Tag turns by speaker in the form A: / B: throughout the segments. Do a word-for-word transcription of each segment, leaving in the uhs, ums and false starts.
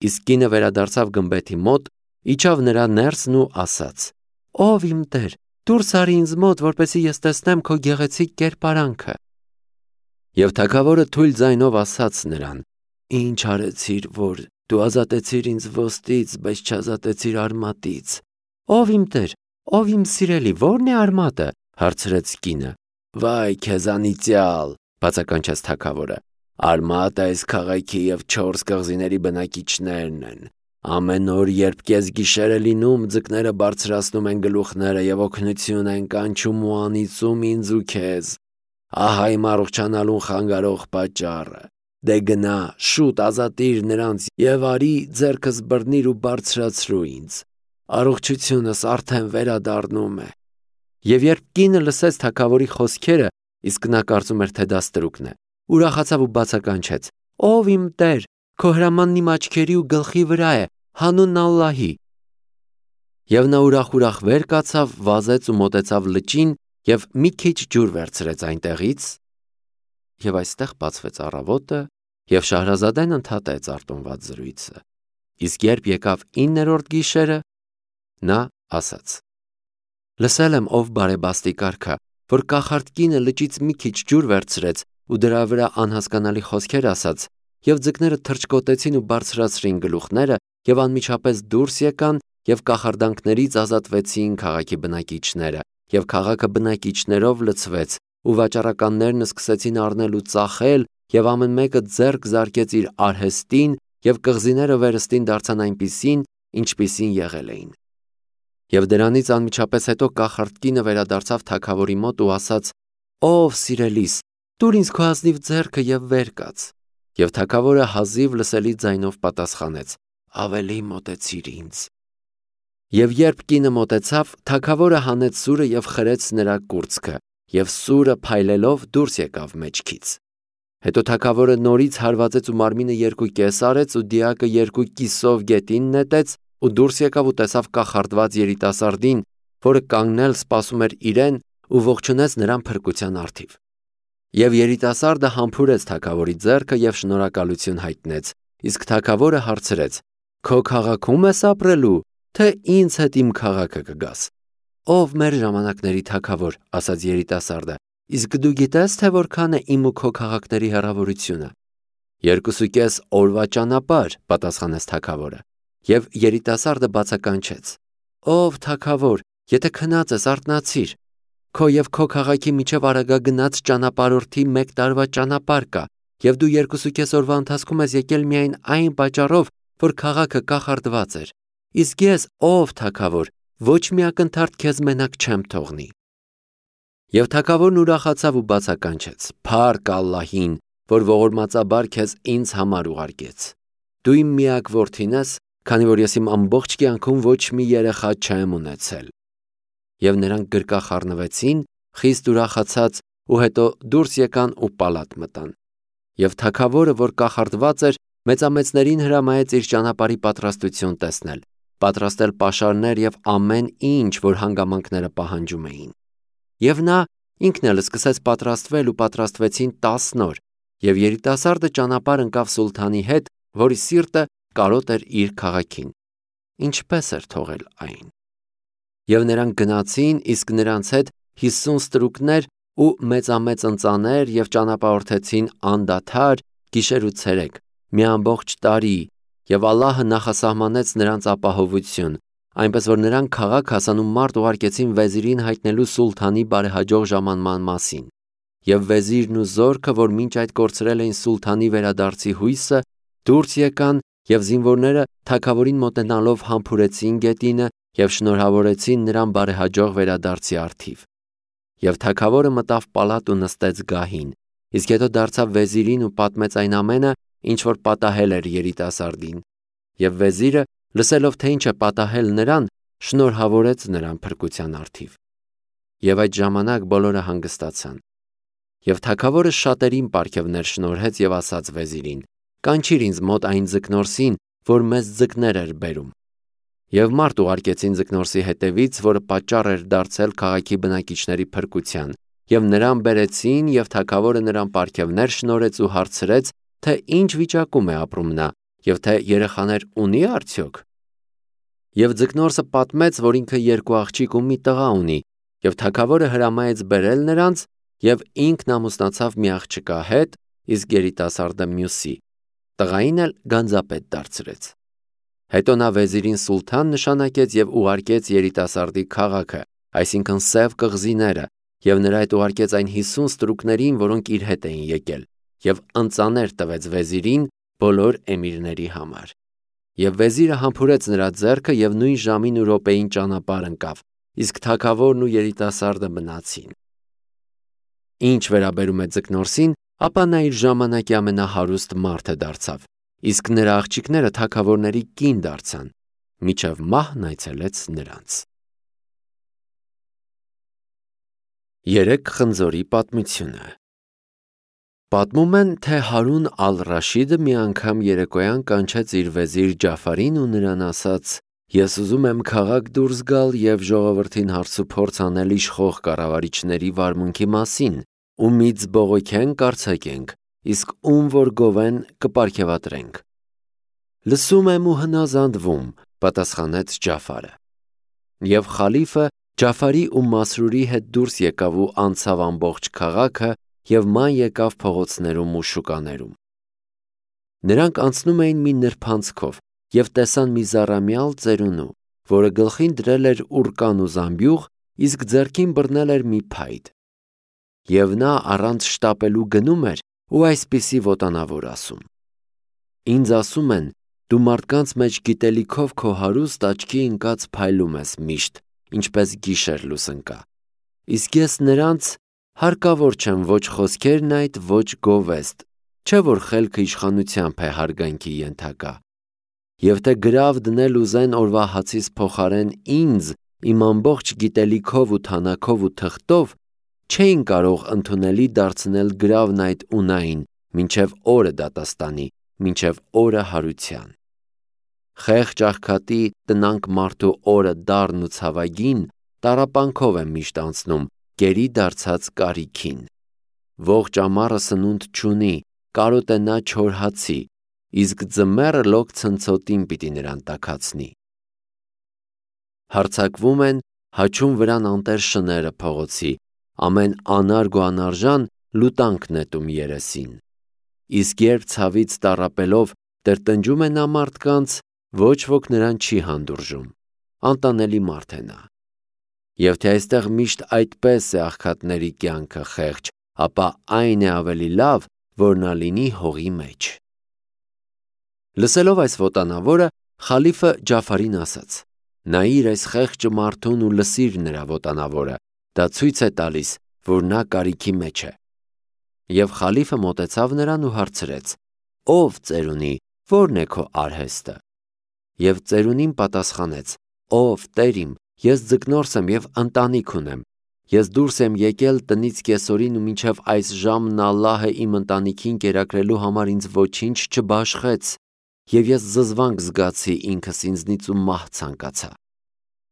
A: Իսկ կինը վերադարձավ գմբեթի մոտ, իջավ նրա ներսն ու ասաց. «Ով իմ տեր, դուրս արի ինձ մոտ, որպեսզի ես տեսնեմ քո գեղեցիկ կերպարանքը»։ Եվ թագավորը թույլ ձայնով ասաց նրան. «Ինչ արեցիր, որ դու ազատեցիր ինձ ոստից, բայց չազատեցիր արմատից»։ «Ով իմ տեր, ով իմ սիրելի, ո՞րն է արմատը»։ հարցրեց կինը։ «Վայ քեզ անիծյալ», բացականչեց թագավորը, «արմատը այս քաղաքի և չորս կղզիների բնակիչներն են։ Ամեն օր, երբ կեսգիշեր է լինում, ձկները բարձրացնում են գլուխները և օգնություն են կանչում ու անիծում ինձ ու քեզ։ Ահա իմ առողջանալուն խանգարող պատճառը։ Դե գնա, շուտ ազատիր նրանց և արի ձեռքս բռնիր ու բարձրացրու ինձ։ Առողջությունս արդեն վերադառնում է»։ Եվ երբ կինը լսեց թագավորի խոսքերը, իսկ նա կարծում էր, թե դա ստրուկն է, ուրախացավ ու բացականչեց. «Ով իմ տեր, քո հրամանն իմ աչքերի ու գլխի վրա է, հանուն Ալլահի»։ Եվ նա ուրախ-ուրախ վեր կացավ, վազեց ու մոտեցավ լճին և մի քիչ ջուր վերցրեց այնտեղից։ Եվ այստեղ բացվեց առավոտը, և Շահրազադեն ընդհատեց արտոնված զրույցը։ Իսկ երբ եկավ իններորդ գիշերը, նա ասաց. «Լսել եմ, ով բարեբաստիկ արքա, որ կախարդ կինը լճից մի քիչ ջուր վերցրեց ու դրա վրա անհասկանալի խոսքեր ասաց, և ձկները թռչկոտեցին ու բարձրացրին գլուխները և անմիջապես դուրս եկան և կախարդանքներից ազատվեցին քաղաքի բնակիչները, և քաղաքը բնակիչներով լցվեց, ու վաճառականներն սկսեցին առնել ու ծախել, և ամեն մեկը ձեռք զարկեց իր արհեստին, և կղզիները վերստին դարձան այնպիսին, ինչպիսին եղել էին»։ Եվ դրանից անմիջապես հետո կախարդ կինը վերադարձավ թագավորի մոտ ու ասաց. «Ով սիրելիս, տուր ինձ քո ազնիվ ձեռքը և վեր կաց»։ Եվ թագավորը հազիվ լսելի ձայնով պատասխանեց. «Ավելի մոտեցիր ինձ»։ Եվ երբ կինը մոտեցավ, թագավորը հանեց սուրը և խրեց նրա կուրծքը, և սուրը փայլելով դուրս եկավ մեջքից։ Հետո թագավորը նորից հարվածեց ու մարմինը երկու կես արեց ու դիակը երկու կիսով գետին նետեց ու դուրս եկավ ու տեսավ կախարդված երիտասարդին, որը կանգնել սպասում էր իրեն ու ողջունեց նրան փրկության առթիվ։ Եվ երիտասարդը համբուրեց թագավորի ձեռքը և շնորհակալություն հայտնեց, իսկ թագավորը հարցրեց. «Քո քաղաքի՞ում ես ապրելու, թե ինձ հետ իմ քաղաքը կգաս»։ «Ով մեր ժամանակների թագավոր», ասաց երիտասարդը, «իսկ դու գիտես, թե որքան է իմ ու քո քաղաքների հեռավորությունը»։ «Երկուսուկես օրվա ճանապարհ», պատասխանեց թագավորը։ Եվ երիտասարդը բացականչեց. «Ով թագավոր, եթե քնած ես, արթնացիր։ Քո և քո քաղաքի միջև արագագնաց ճանապարհորդի մեկ տարվա ճանապարհ կա, և դու երկուսուկես օրվա ընթացքում ես եկել միայն այն պատճառով, որ քաղաքը կախարդված էր։ Իսկ ես, ով թագավոր, ոչ մի ակնթարթ քեզ մենակ չեմ թողնի»։ Եվ թագավորն ուրախացավ ու բացականչեց. «Փառք Ալլահին, որ ողորմածաբար քեզ ինձ համար ուղարկեց։ Դու իմ միակ որդին ես, քանի որ ես իմ ամբողջ կյանքում ոչ մի երեխա չեմ ունեցել»։ Եվ նրանք գրկա խառնվեցին, խիստ ուրախացած, ու հետո դուրս եկան ու պալատ մտան։ Եվ թագավորը, որ կախարդված էր, մեծամեծներին հրամայեց իր ճանապարհի պատրաստություն տեսնել, պատրաստել պաշարներ և ամեն ինչ, որ հանգամանքները պահանջում էին։ Եվ նա ինքն էլ սկսեց պատրաստվել ու պատրաստվեցին տասն օր, և երիտասարդը ճանապարհ ընկավ սուլթանի հետ, որի սիրտը կարոտ էր իր քաղաքին։ Ինչպես էր թողել այն։ Եվ նրանք գնացին, իսկ նրանց հետ հիսուն ստրուկներ ու մեծամեծ ընծաներ և ճանապարհորդեցին անդադար գիշեր ու ցերեկ, մի ամբողջ տարի, և Ալլահը նախասահմանեց նրանց ապահովություն, այնպես որ նրանք քաղաք հասան ու մարդ ուղարկեցին վեզիրին հայտնելու սուլթանի բարեհաջող ժամանման մասին։ Եվ վեզիրն ու զորքը, որ մինչ այդ կորցրել էին սուլթանի վերադարձի հույսը, դուրս եկան, և զինվորները թագավորին մոտենալով համբուրեցին գետինը և շնորհավորեցին նրան բարեհաջող վերադարձի առթիվ։ Եվ թագավորը մտավ պալատ ու նստեց գահին, իսկ հետո դարձավ վեզիրին ու պատմեց այն ամենը, ինչ որ պատահել էր երիտասարդին։ Եվ վեզիրը, լսելով, թե ինչ է պատահել նրան, շնորհավորեց նրան փրկության առթիվ։ Եվ այդ ժամանակ բոլորը հանգստացան։ Եվ թագավորը շատերին պարգևներ շնորհեց և ասաց վեզիրին. «Կանչիր ինձ մոտ այն ձկնորսին, որ մեզ ձկներ էր բերում»։ Եվ մարդ ուղարկեցին ձկնորսի հետևից, որը պատճառ էր դարձել քաղաքի բնակիչների փրկության, և նրան բերեցին, և թագավորը նրան պարգևներ շնորհեց ու հարցրեց, թե ինչ վիճակում է ապրում նա, եւ թե երեխաներ ունի արդյոք։ Եվ ձկնորսը պատմեց, որ ինքը երկու աղջիկ ու մի տղա ունի, եւ թագավորը հրամայեց բերել նրանց, եւ ինքն ամուսնացավ մի աղջկա հետ, իսկ երիտասարդը մյուսի։ Տղային էլ գանձապետ դարձրեց։ Հետո նա վեզիրին սուլթան նշանակեց եւ ուղարկեց երիտասարդի քաղաքը, այսինքն Սև կղզիները, եւ նրա հետ ուղարկեց այն հիսուն ստրուկներին, որոնք իր հետ էին եկել, եւ ընծաներ տվեց վեզիրին բոլոր էմիրների համար։ Եվ վեզիրը համբուրեց նրա ձեռքը եւ նույն ժամին ու րոպեին ճանապարհ ընկավ, իսկ թագավորն ու երիտասարդը մնացին։ Ինչ վերաբերում է ձկնորսին, ապա նա իր ժամանակի ամենահարուստ մարդը դարձավ, իսկ նրա աղջիկները թագավորների կին դարձան, մինչև մահն այցելեց նրանց։ Երեք խնձորի պատմությունը։ Պատմում են, թե Հարուն ալ-Ռաշիդը մի անգամ երեկոյան կանչեց իր վեզիր Ջաֆարին ու նրան ասաց. «Ես ուզում եմ քաղաք դուրս գալ եւ ժողովրդին հարցուփորձ անել իշխող կառավարիչների վարմունքի մասին, ումից բողոքենք արձակենք, իսկ ում որ գովեն կպարգևատրենք»։ «Լսում եմ ու հնազանդվում», պատասխանեց Ջաֆարը։ Եվ խալիֆը Ջաֆարի ու Մասրուրի հետ դուրս եկավ ու անցավ ամբողջ քաղաքը և ման եկավ փողոցներում ու շուկաներում։ Նրանք անցնում էին մի նրբանցքով և տեսան մի զառամյալ ծերունու, որը գլխին դրել էր ուռկան ու զամբյուղ, իսկ ձեռքին բռնել էր մի փայտ։ Եվ նա առանց շտապելու գնում էր ու այսպիսի ոտանավոր ասում. «Ինձ ասում են, դու մարդկանց մեջ գիտելիքով քո հարուստ աչքի ընկած փայլում ես միշտ, ինչպես գիշեր լուսնկա, իսկ ես նրանց հարկավոր չեմ ոչ խոսքերն այդ, ոչ գովեստ, չէ որ խելքը իշխանությամբ է հարգանքի ենթակա։ Եվ թե գրավ դնել ուզեն օրվա հացիս փոխարեն ինձ, իմ ամբողջ գիտելիքով ու թանակով ու թղթով, չէին կարող ընդունելի դարձնել գրավն այդ ունային, մինչև օրը դատաստանի, մինչև օրը հարության։ Խեղճ աղքատի տնանք մարդու օրը դառն ու ցավագին տառապանքով եմ միշտ անցնում, գերի դարձած կարիքին։ Ողջ ամառը սնունդ չունի, կարոտ է նա չոր հացի, իսկ ձմեռը լոկ ցնցոտին պիտի նրան տաքացնի։ Հարձակվում են, հաչում վրան անտեր շները փողոցի, ամեն անարգ ու անարժան լուտանք նետում երեսին։ Իսկ երբ ցավից տառապելով տրտնջում է նա մարդկանց, ոչ ոք նրան չի հանդուրժում, անտանելի մարդ է նա։ Եվ թե այստեղ միշտ այդպես է աղքատների կյանքը խեղճ, ապա այն է ավելի լավ, որ նա լինի հողի մեջ։ Լսելով այս ոտանավորը, խալիֆը Ջաֆարին ասաց. «Նայիր այս խեղճ մարդուն ու լսիր նրա ոտանավորը, դա ցույց է տալիս, որ նա կարիքի մեջ է»։ Եվ խալիֆը մոտեցավ նրան ու հարցրեց. «Ով ծերունի, ո՞րն է քո արհեստը»։ Եվ ծերունին պատասխանեց. «Ով տեր իմ, ես ձկնորս եմ և ընտանիք ունեմ։ Ես դուրս եմ եկել տնից կեսօրին ու մինչև այս ժամն Ալլահը իմ ընտանիքին կերակրելու համար ինձ ոչինչ չբաշխեց, և ես զզվանք զգացի ինքս ինձնից ու մահ ցանկացա»։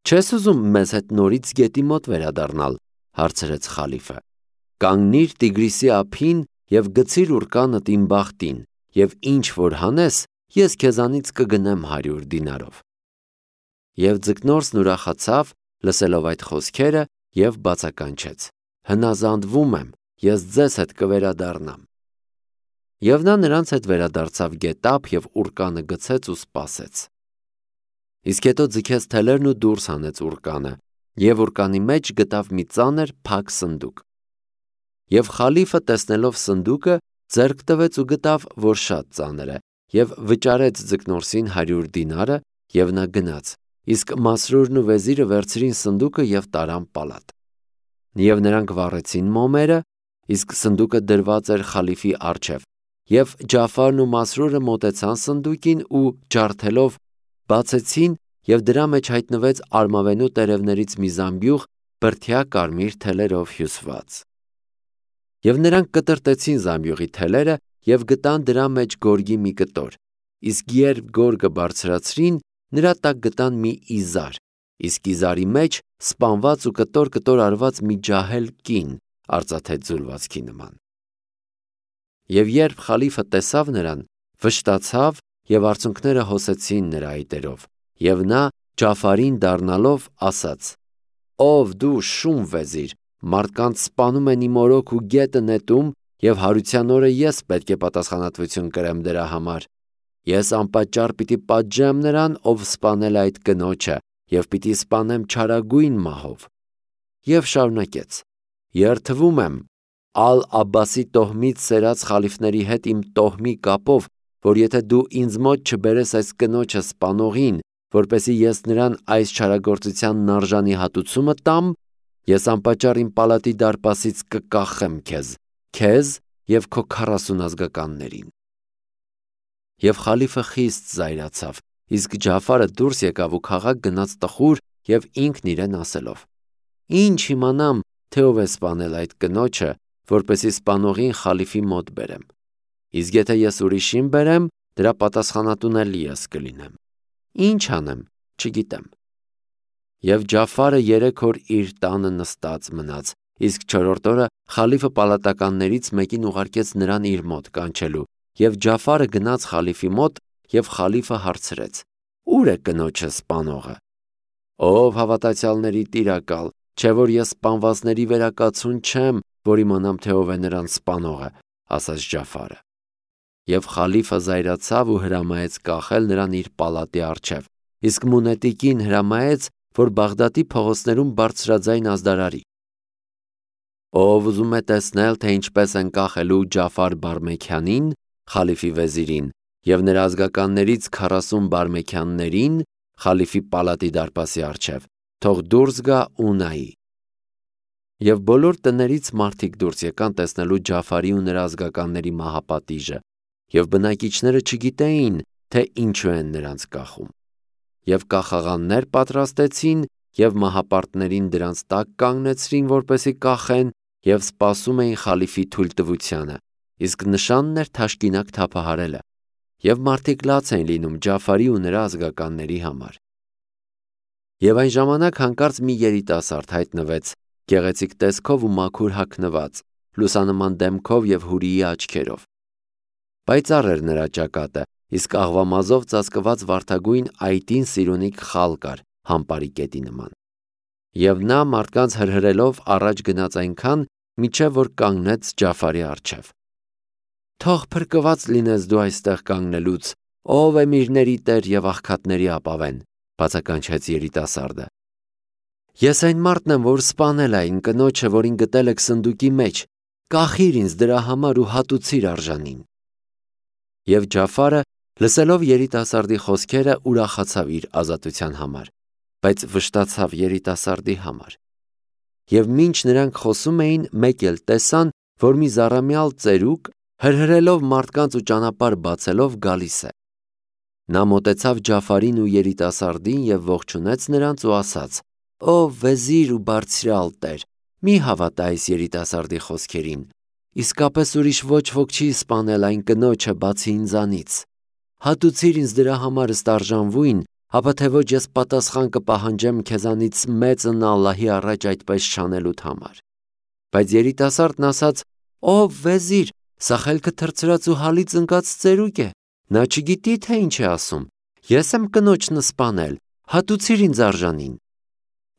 A: «Չես ուզում մեզ հետ նորից գետի մոտ վերադառնալ»։ հարցրեց խալիֆը։ «Կանգնիր Տիգրիսի ափին և գցիր ուռկանդ իմ բախտին, և ինչ որ հանես, ես քեզանից կգնեմ հարյուր դինարով»։ Եվ ձկնորսն ուրախացավ, լսելով այդ խոսքերը, և բացականչեց. «Հնազանդվում եմ, ես ձեզ հետ կվերադառնամ»։ Եվ նա նրանց հետ վերադարձավ գետափ և ուռկանը գցեց ու սպասեց։ Իսկ հետո ձգեց թելերն ու դուրս հանեց ուռկանը, և ուռկանի մեջ գտավ մի ծանր փակ սնդուկ։ Եվ խալիֆը, տեսնելով սնդուկը, ձեռք տվեց ու գտավ, որ շատ ծանր է, և վճարեց ձկնորսին հարյուր դինարը, և նա գնաց, իսկ Մասրուրն ու վեզիրը վերցրին սնդուկը և տարան պալատ։ Եվ նրանք վառեցին մոմերը, իսկ սնդուկը դրված էր խալիֆի առջև, և Ջաֆարն ու Մասրուրը մոտեցան սնդուկին ու ջարդելով բացեցին, և դրա մեջ հայտնվեց արմավենու տերևներից մի զամբյուղ բրդյա կարմիր թելերով հյուսված։ Եվ նրանք կտրտեցին զամբյուղի թելերը և գտան դրա մեջ գորգի մի կտոր, իսկ երբ գորգը բարձրացրին, նրա տակ գտան մի իզար, իսկ իզարի մեջ սպանված ու կտոր-կտոր արված մի ջահել կին արծաթե ձուլվածքի նման։ Եվ երբ խալիֆը տեսավ նրան, վշտացավ և արցունքները հոսեցին նրա այտերով, և նա Ջաֆարին դառնալով ասաց. «Ով դու շուն վեզիր, մարդկանց սպանում են իմ օրոք ու գետը նետում, և հարության օրը ես պետք է պատասխանատվություն կրեմ դրա համար։ Ես անպատճառ պիտի պատժեմ նրան, ով սպանել է այդ կնոջը, և պիտի սպանեմ չարագույն մահով»։ Եվ շարունակեց. «Երդվում եմ Ալ-Աբբասի տոհմից սերած խալիֆների հետ իմ տոհմի կապով, որ եթե դու ինձ մոտ չբերես այս կնոջը սպանողին, որպեսզի ես նրան այս չարագործությանն արժանի հատուցումը տամ, ես անպատճառ իմ պալատի դարպասից կկախեմ քեզ, քեզ և քո քառասուն ազգականներին»։ Եվ խալիֆը խիստ զայրացավ, իսկ Ջաֆարը դուրս եկավ ու քաղաք գնաց տխուր և ինքն իրեն ասելով. «Ինչ իմանամ, թե ով է սպանել այդ կնոջը, որպեսզի սպանողին խալիֆի մոտ բերեմ։ Իսկ եթե ես ուրիշին բերեմ, դրա պատասխանատուն էլ ես կլինեմ։ Ինչ անեմ, չգիտեմ»։ Եվ Ջաֆարը երեք օր իր տանը նստած մնաց, իսկ չորրորդ օրը խալիֆը պալատականներից մեկին ուղարկեց նրան իր մոտ կանչելու, և Ջաֆարը գնաց խալիֆի մոտ, և խալիֆը հարցրեց. «Ո՞ւր է կնոջը սպանողը»։ «Ով հավատացյալների տիրակալ, չէ որ ես սպանվածների վերակացուն չեմ, որ իմանամ, թե ով է նրան սպանողը», ասաց Ջաֆարը։ Եվ խալիֆը զայրացավ ու հրամայեց կախել նրան իր պալատի առջև, իսկ Մունետիկին հրամայեց, որ Բաղդադի փողոցներում բարձրաձայն ազդարարի. «Ով ուզում է տեսնել, թե ինչպես են կախելու Ջաֆար Բարմեքյանին, խալիֆի վեզիրին, և նրա ազգականներից քառասուն բարմեքյաններին, խալիֆի պալատի դարպասի առջև, թող դուրս գա ու նայի»։ Եվ բոլոր տներից մարդիկ դուրս եկան տեսնելու Ջաֆարի ու նրա ազգականների մահապատիժը, և բնակիչները չգիտեին, թե ինչու են նրանց կախում։ Եվ կախաղաններ պատրաստեցին և մահապարտներին դրանց տակ կանգնեցրին, որպեսզի կախեն, և սպասում էին խալիֆի թույլտվությանը, իսկ նշանն էր թաշկինակ թափահարելը, և մարդիկ լաց էին լինում Ջաֆարի ու նրա ազգականների համար։ Եվ այն ժամանակ հանկարծ մի երիտասարդ հայտնվեց, գեղեցիկ տեսքով ու մաքուր հագնված, լուսանման դեմքով և հուրիի աչքերով։ Պայծառ էր նրա ճակատը, իսկ աղվամազով ծածկված վարդագույն այտին սիրունիկ խալ կար համպարի կետի նման։ Եվ նա մարդկանց հրհրելով առաջ գնաց այնքան, մինչև որ կանգնեց Ջաֆարի առջև։ «Թող փրկված լինես դու այստեղ կանգնելուց, ով էմիրների տեր և աղքատների ապավեն», բացականչեց երիտասարդը։ «Ես այն մարդն եմ, որ սպանել է այն կնոջը, որին գտել եք սնդուկի մեջ, կախիր ինձ դրա համար ու հատուցիր արժանին»։ Եվ Ջաֆարը, լսելով երիտասարդի խոսքերը, ուրախացավ իր ազատության համար, բայց վշտացավ երիտասարդի համար։ Եվ մինչ նրանք խոսում էին, մեկ էլ տեսան, որ մի զառամյալ ծերուկ, հրհրելով մարդկանց ու ճանապարհ բացելով գալիս է։ Նա մոտեցավ Ջաֆարին ու երիտասարդին և ողջունեց նրանց ու ասաց. «Ով վեզիր ու բարձրյալ տեր, մի հավատա այս երիտասարդի խոսքերին, իսկապես ուրիշ ոչ ոք չի սպանել այն կնոջը բացի ինձանից։ Հատուցիր ինձ դրա համար ըստ արժանվույն, ապա թե ոչ ես պատասխան կպահանջեմ քեզանից մեծն Ալլահի առաջ այդպես չանելուդ համար»։ Բայց երիտասարդն ասաց. «Ով վեզիր, սա խելքը թռցրած ու հալից ընկած ծերուկ է, նա չգիտի, թե ինչ է ասում, ես եմ կնոջն սպանել, հատուցիր ինձ արժանին»։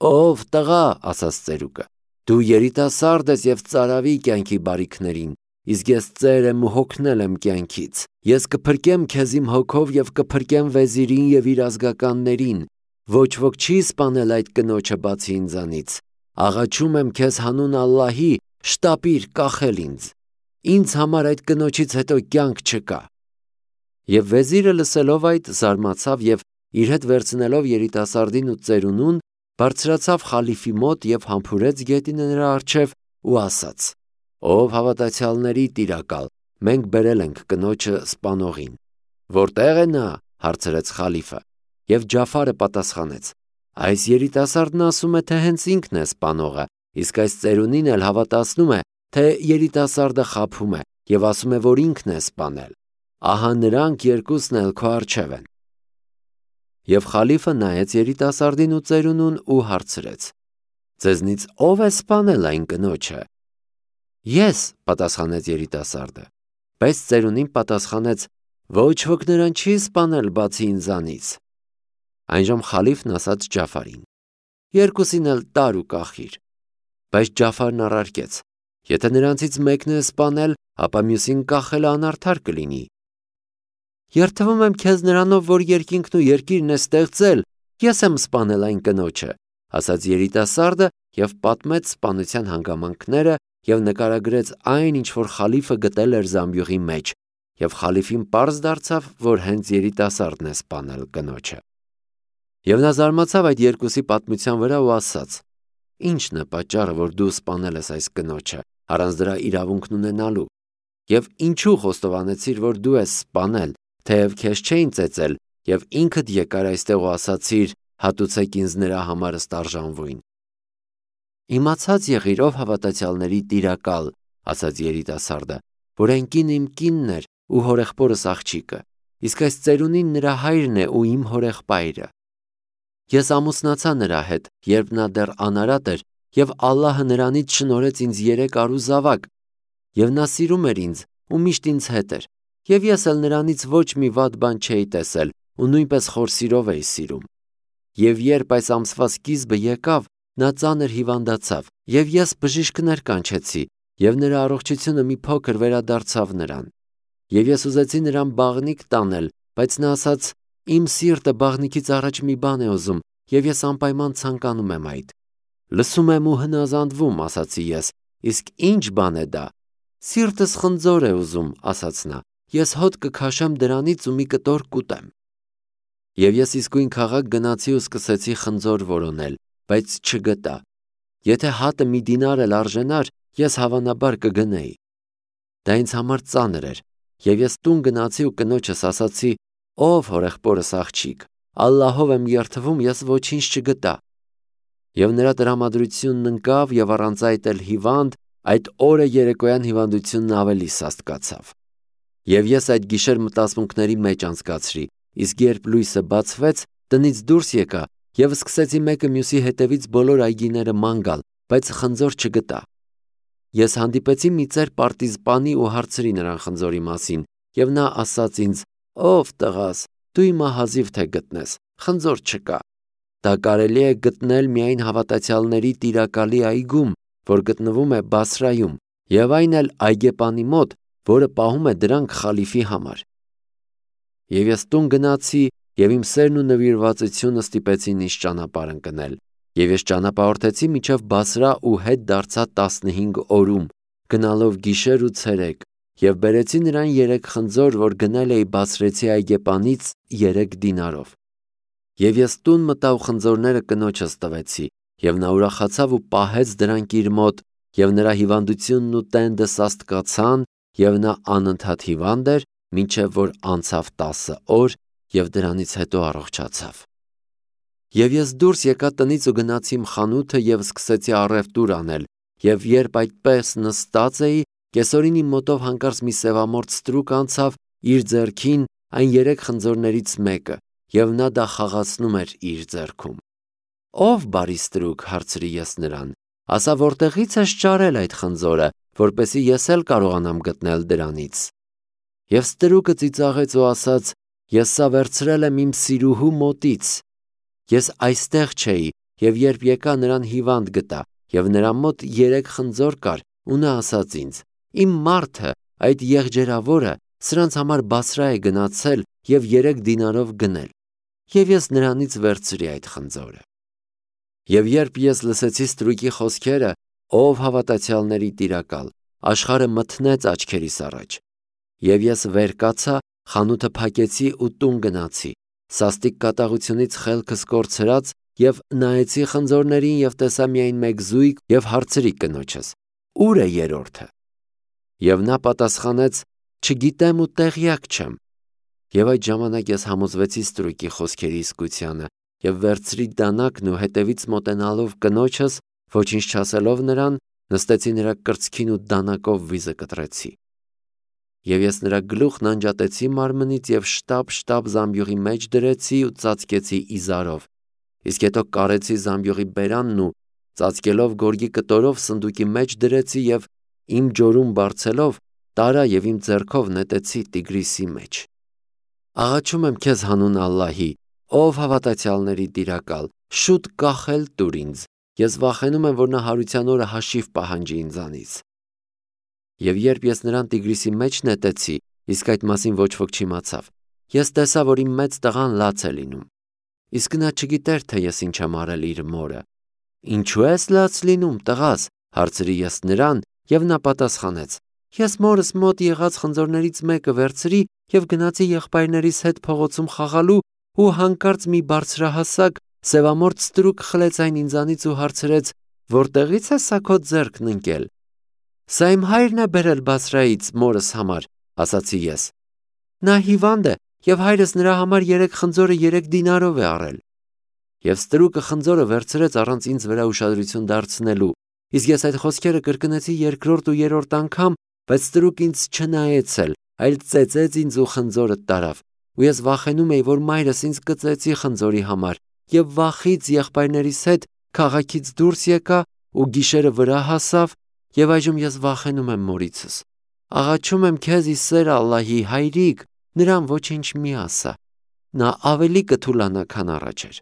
A: «Ով տղա, ասաց ծերուկը, դու երիտասարդ ես և ծարավի կյանքի բարիքներին, իսկ ես ծեր եմ ու հոգնել եմ կյանքից, ես կփրկեմ քեզ իմ հոգով և կփրկեմ վեզիրին և իր ազգականներին, ոչ ոք չի սպանել այդ կնոջը բացի ինձանից, աղաչում եմ քեզ հանուն Ալլահի, շտապիր կախել ինձ, ինձ համար այդ կնոջից հետո կյանք չկա»։ Եվ վեզիրը լսելով այդ, զարմացավ և իր հետ վերցնելով երիտասարդին ու ծերունուն, բարձրացավ խալիֆի մոտ և համբուրեց գետինը նրա առջև ու ասաց. «Ով հավատացյալների տիրակալ, մենք բերել ենք կնոջը սպանողին»։ «Որտե՞ղ է նա», հարցրեց խալիֆը։ Եվ Ջաֆարը պատասխանեց. «Այս երիտասարդն ասում է, թե հենց ինքն է սպանողը, իսկ այս ծերունին էլ հավատացնում է, թե երիտասարդը խաբում է և ասում է, որ ինքն է սպանել։ Ահա նրանք երկուսն էլ քո առջև են»։ Եվ խալիֆը նայեց երիտասարդին ու ծերունուն ու հարցրեց. «Ձեզնից ո՞վ է սպանել այն կնոջը»։ «Ես», պատասխանեց երիտասարդը։ Բայց ծերունին պատասխանեց. Ոչ ոք նրան չի սպանել բացի ինձանից։ Այն ժամ խալիֆն ասաց Ջաֆարին. Երկուսին էլ տար ու կախիր։ Բայց Ջաֆարն առարկեց. Եթե նրանցից մեկն է սպանել, ապա մյուսին կախելը անարդար կլինի։ Երդվում եմ քեզ նրանով, որ երկինքն ու երկիրն է ստեղծել, ես եմ սպանել այն կնոջը, ասաց երիտասարդը և պատմեց սպանության հանգամանքները և նկարագրեց այն, ինչ որ խալիֆը գտել էր զամբյուղի մեջ, և խալիֆին պարզ դարձավ, որ հենց երիտասարդն է սպանել կնոջը։ Եվ նա զարմացավ այդ երկուսի պատմության վրա ու ասաց. Ի՞նչն է պատճառը, որ դու սպանել ես այս կնոջը, առանց դրա իրավունքն ունենալու, և ինչու խոստովանեցիր, որ դու ես սպանել, թեև քեզ չէին ծեծել, և ինքդ եկար այստեղ ու ասացիր. հատուցեք ինձ նրա համար ստարժանվույն։ Իմացած եղիր, ով հավատացյալների տիրակալ, ասաց երիտասարդը, որ այն կինը իմ կինն էր ու հորեղբորս աղջիկը, իսկ այս ծերունին նրա հայրն է ու իմ հորեղբայրը։ Ես ամուսնացա նրա հետ, երբ նա դեռ անարատ էր, և Ալլահը նրանից շնորհեց ինձ երեք արու զավակ, և նա սիրում էր ինձ ու միշտ ինձ հետ էր, և ես էլ նրանից ոչ մի վատ բան չէի տեսել ու նույնպես խոր սիրով էի սիրում։ Եվ երբ այս ամսվա սկիզբը եկավ, նա ծանր հիվանդացավ, և ես բժիշկներ կանչեցի, և նրա առողջությունը մի փոքր վերադարձավ նրան։ Եվ ես ուզեցի նրան բաղնիք տանել, բայց նա ասաց. Իմ սիրտը բաղնիքից առաջ մի բան է ուզում, և ես անպայման ցանկանում եմ այդ։ Լսում եմ ու հնազանդվում, ասացի ես, իսկ ի՞նչ բան է դա։ Սիրտս խնձոր է ուզում, ասաց նա, ես հոտ կքաշեմ դրանից ու մի կտոր կուտեմ։ Եվ ես իսկույն քաղաք գնացի ու սկսեցի խնձոր որոնել, բայց չգտա։ Եթե հատը մի դինար էլ արժենար, ես հավանաբար կգնեի։ Դա ինձ համար ծանր էր, և ես տուն գնացի ու կնոջս ասացի. Ով հորեղբորս աղջիկ, Ալլահով եմ երդվում, ես ոչինչ չգտա։ Եվ նրա տրամադրությունն ընկավ, և առանց այդ էլ հիվանդ, այդ օրը երեկոյան հիվանդությունն ավելի սաստկացավ։ Եվ ես այդ գիշեր մտածմունքների մեջ անցկացրի, իսկ երբ լույսը բացվեց, տնից դուրս եկա և սկսեցի մեկը մյուսի հետևից բոլոր այգիները ման գալ, բայց խնձոր չգտա։ Ես հանդիպեցի մի ծեր պարտիզպանի ու հարցրի նրան խնձորի մասին, և նա ասաց ինձ. Ով տղաս, դու իմ ահազիվ թե գտնես, խնձոր չկա։ Դա կարելի է գտնել միայն հավատացյալների տիրակալի այգում, որ գտնվում է Բասրայում, և այն էլ այգեպանի մոտ, որը պահում է դրանք խալիֆի համար։ Եվ ես տուն գնացի, և իմ սերն ու նվիրվածությունը ստիպեցին ինձ ճանապարհ ընկնել, և ես ճանապարհորդեցի մինչև Բասրա ու հետ դարձա տասնհինգ օրում, գնալով գիշեր ու ցերեկ, և բերեցի նրան երեք խնձոր, որ գնել էի բասրեցի այգեպանից երեք դինարով։ Եվ ես տուն մտա ու խնձորները կնոջս տվեցի, և նա ուրախացավ ու պահեց դրանք իր մոտ, և նրա հիվանդությունն ու տենդը սաստկացան, և նա անընդհատ հիվանդ էր, մինչև որ անցավ տասը օր, և դրանից հետո առողջացավ։ Եվ ես դուրս եկա տնից ու գնացի իմ խանութը և սկսեցի առևտուր անել, և երբ այդպես նստած էի, կեսօրին իմ մոտով հանկարծ մի սևամորթ ստրուկ անցավ, իր ձեռքին այն երեք խնձորներից մեկը, և նա դա խաղացնում էր իր ձեռքում։ Ով բարի ստրուկ, հարցրի ես նրան, ասա որտեղի՞ց ես ճարել այդ խնձորը, որպեսզի ես էլ կարողանամ գտնել դրանից։ Եվ ստրուկը ծիծաղեց ու ասաց. Ես սա վերցրել եմ իմ սիրուհու մոտից։ Ես այստեղ չէի, և երբ եկա, նրան հիվանդ գտա, և նրա մոտ երեք խնձոր կար, ու նա ասաց ինձ. Իմ մարդը, այդ եղջերավորը, սրանց համար Բասրա է գնացել և երեք դինարով գնել, և ես նրանից վերցրի այդ խնձորը։ Եվ երբ ես լսեցի ստրուկի խոսքերը, ով հավատացյալների տիրակալ, աշխարհը մթնեց աչքերիս առաջ։ Եվ ես վեր կացա, խանութը փակեցի ու տուն գնացի, սաստիկ կատաղությունից խելքս կորցրած, և նայեցի խնձորներին և տեսա միայն մեկ զույգ և հարցրի կնոջս. Ո՞ւր է երրորդը։ Եվ նա պատասխանեց. Չգիտեմ ու տեղյակ չեմ։ Եվ այդ ժամանակ ես համոզվեցի ստրուկի խոսքերի իսկությանը և վերցրի դանակն ու հետևից մոտենալով կնոջս, ոչինչ չասելով նրան, նստեցի նրա կրծքին ու դանակով վիզը կտրեցի։ Եվ ես նրա գլուխն անջատեցի մարմնից և շտապ-շտապ զամբյուղի մեջ դրեցի ու ծածկեցի իզարով, իսկ հետո կարեցի զամբյուղի բերանն ու ծածկելով գորգի կտորով սնդուկի մեջ դրեցի և իմ ջորում բարձելով տարա և իմ ձեռքով նետեցի Տիգրիսի մեջ։ Աղաչում եմ քեզ հանուն Ալլահի, ով հավատացյալների տիրակալ, շուտ կախել տուր ինձ, ես վախենում եմ, որ նա հարության օրը հաշիվ պահանջի ինձանից։ Եվ երբ ես նրան Տիգրիսի մեջ նետեցի, իսկ այդ մասին ոչ ոք չիմացավ, ես տեսա, որ իմ մեծ տղան լաց է լինում։ Իսկ նա չգիտեր, թե ես ինչ եմ արել իր մորը։ Ինչու ես լաց լինում, տղաս, հարցրի ես նրան, եւ նա պատասխանեց. Ես մորս մոտ եղած խնձորներից մեկը վերցրի եւ գնացի եղբայրներիս հետ փողոցում խաղալու ու հանկարծ մի բարձրահասակ սևամորթ ստրուկ խլեց այն ինձանից ու հարցրեց. Որտեղից է սա քո ձեռքն ընկել։ Սա իմ հայրն է բերել Բասրայից մորս համար, ասացի ես։ Նա հիվանդ է եւ հայրս նրա համար երեք խնձորը երեք դինարով է առել։ Եվ ստրուկը խնձորը վերցրեց առանց ինձ վրա ուշադրություն դարձնելու, իսկ ես այդ խոսքերը կրկնեցի երկրորդ ու երրորդ անգամ, բայց ստրուկը ինձ չնայեց էլ, այլ ծեծեց ինձ ու խնձորը տարավ, ու ես վախենում էի, որ մայրս ինձ կծեծի խնձորի համար, եւ վախից եղբայրներիս հետ քաղաքից դուրս եկա ու գիշերը վրա հասավ, եւ այժմ ես վախենում եմ մորիցս։ Աղաչում եմ քեզ ի սեր Ալլահի, հայրիկ, նրան ոչինչ մի ասա։ Նա ավելի կթուլանա, քան առաջ էր։